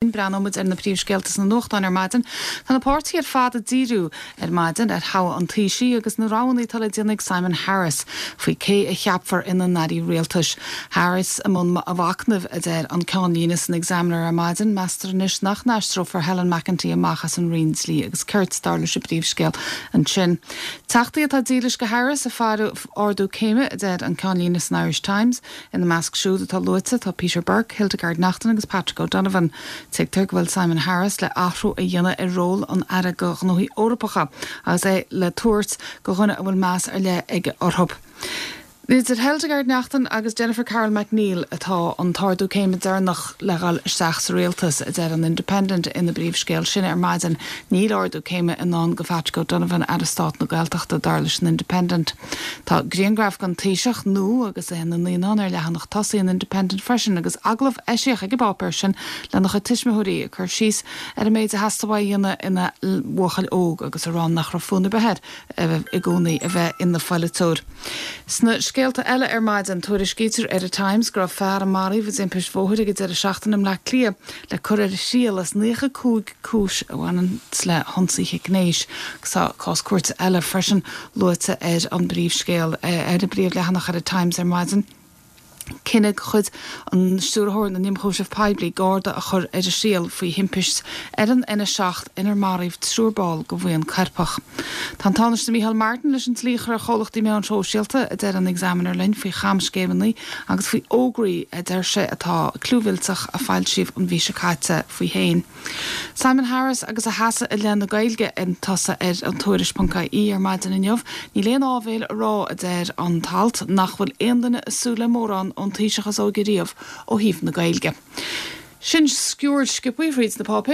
Breathnóidh muid ar na príomhscéalta sna nuachtáin ar maidin. Tá na páirtithe ar fad ag díriú ar maidin ar thoghadh an Taoisigh agus na roghanna atá le déanamh ag Simon Harris faoi cé a cheapfar ina n-airí rialtais. Harris i mbun a mhachnaimh, a deir an ceannlíne san Examiner ar maidin. Meastar anois nach n-aistreofar Helen McEntee amach as an Roinn Dlí agus Cirt, dar leis an bpríomhscéal ansin. Teachtaí atá dílis go Harris ag faire ardú céime, a deir an ceannlíne san Irish Times. Ina measc siúd atá luaite tá Peter Burke, Hildegarde Naughton agus Patrick O'Donovan. Tuigtear go bhfuil Simon Harris le athrú a dhéanamh ar ról an Aire do Ghnóthaí Eorpacha agus é le tabhairt go dhuine a bhfuil meas ar leith aige orthu. Idir Hildegarde Naughton agus Jennifer Carroll MacNeill atá an t-ardú céime deireanach le dhul isteach sa rialtas, a deir an Independent ina bpríomhscéal sin ar maidin. Níl ardú céime i ndán go Phatrick O'Donovan, Aire Stáit na Gaeltachta, dar leis an Independent. Tá grianghraf den Taoiseach nua agus é ina naíonán ar leathanach tosaigh an Independent freisin agus agallamh eisiach ag an bpáipéar sin lena chuid tuismitheoirí ag cur síos ar an méid a theastaigh uaidh a dhéanamh ina bhuachaill óg agus a rá nach raibh fonn ar bith air i gcónaí a bheith ina pholaiteoir. Sna scéalta eile ar maidin, tuairiscítear ar an Times go raibh fear a maraíodh i dtimpist bhóthair ag an deireadh seachtaine i mBleá Cliath le cur ar a thriail as 95 cúis a bhaineann le hionsaithe gnéis agus tá cás cúirte eile freisin luaite ar an bpríomhscéal ar an bpríomhleathanach ar an Times ar maidin. Cinneadh de chuid an Stiúrthóir na nImchúiseamh Poiblí garda a chur ar a thriail faoi thimpist ar an N7 inar maraíodh triúr ball de bhuíon coirpeach. Tá an Tánaiste Micheál Martin leis an dlí a chur ar chomhlachtaí meáin shóisialta, a deir an Examiner linn, faoi chamscéimeanna agus faoi fhógraí a deir sé atá clúmhillteach a foilsíodh an mhí seo caite faoi féin. Simon Harris agus a sheasamh i leith na Gaeilge ag tosú ar an Tuairisc.ie ar maidin inniu. Níl aon áibhéil a rá, a deir an t-alt, nach bhfuil aon duine ag súil le mórán ón Taoiseach is óige riamh ó thaobh na Gaeilge. Sin sciuird sciobtha thríd na páipéir.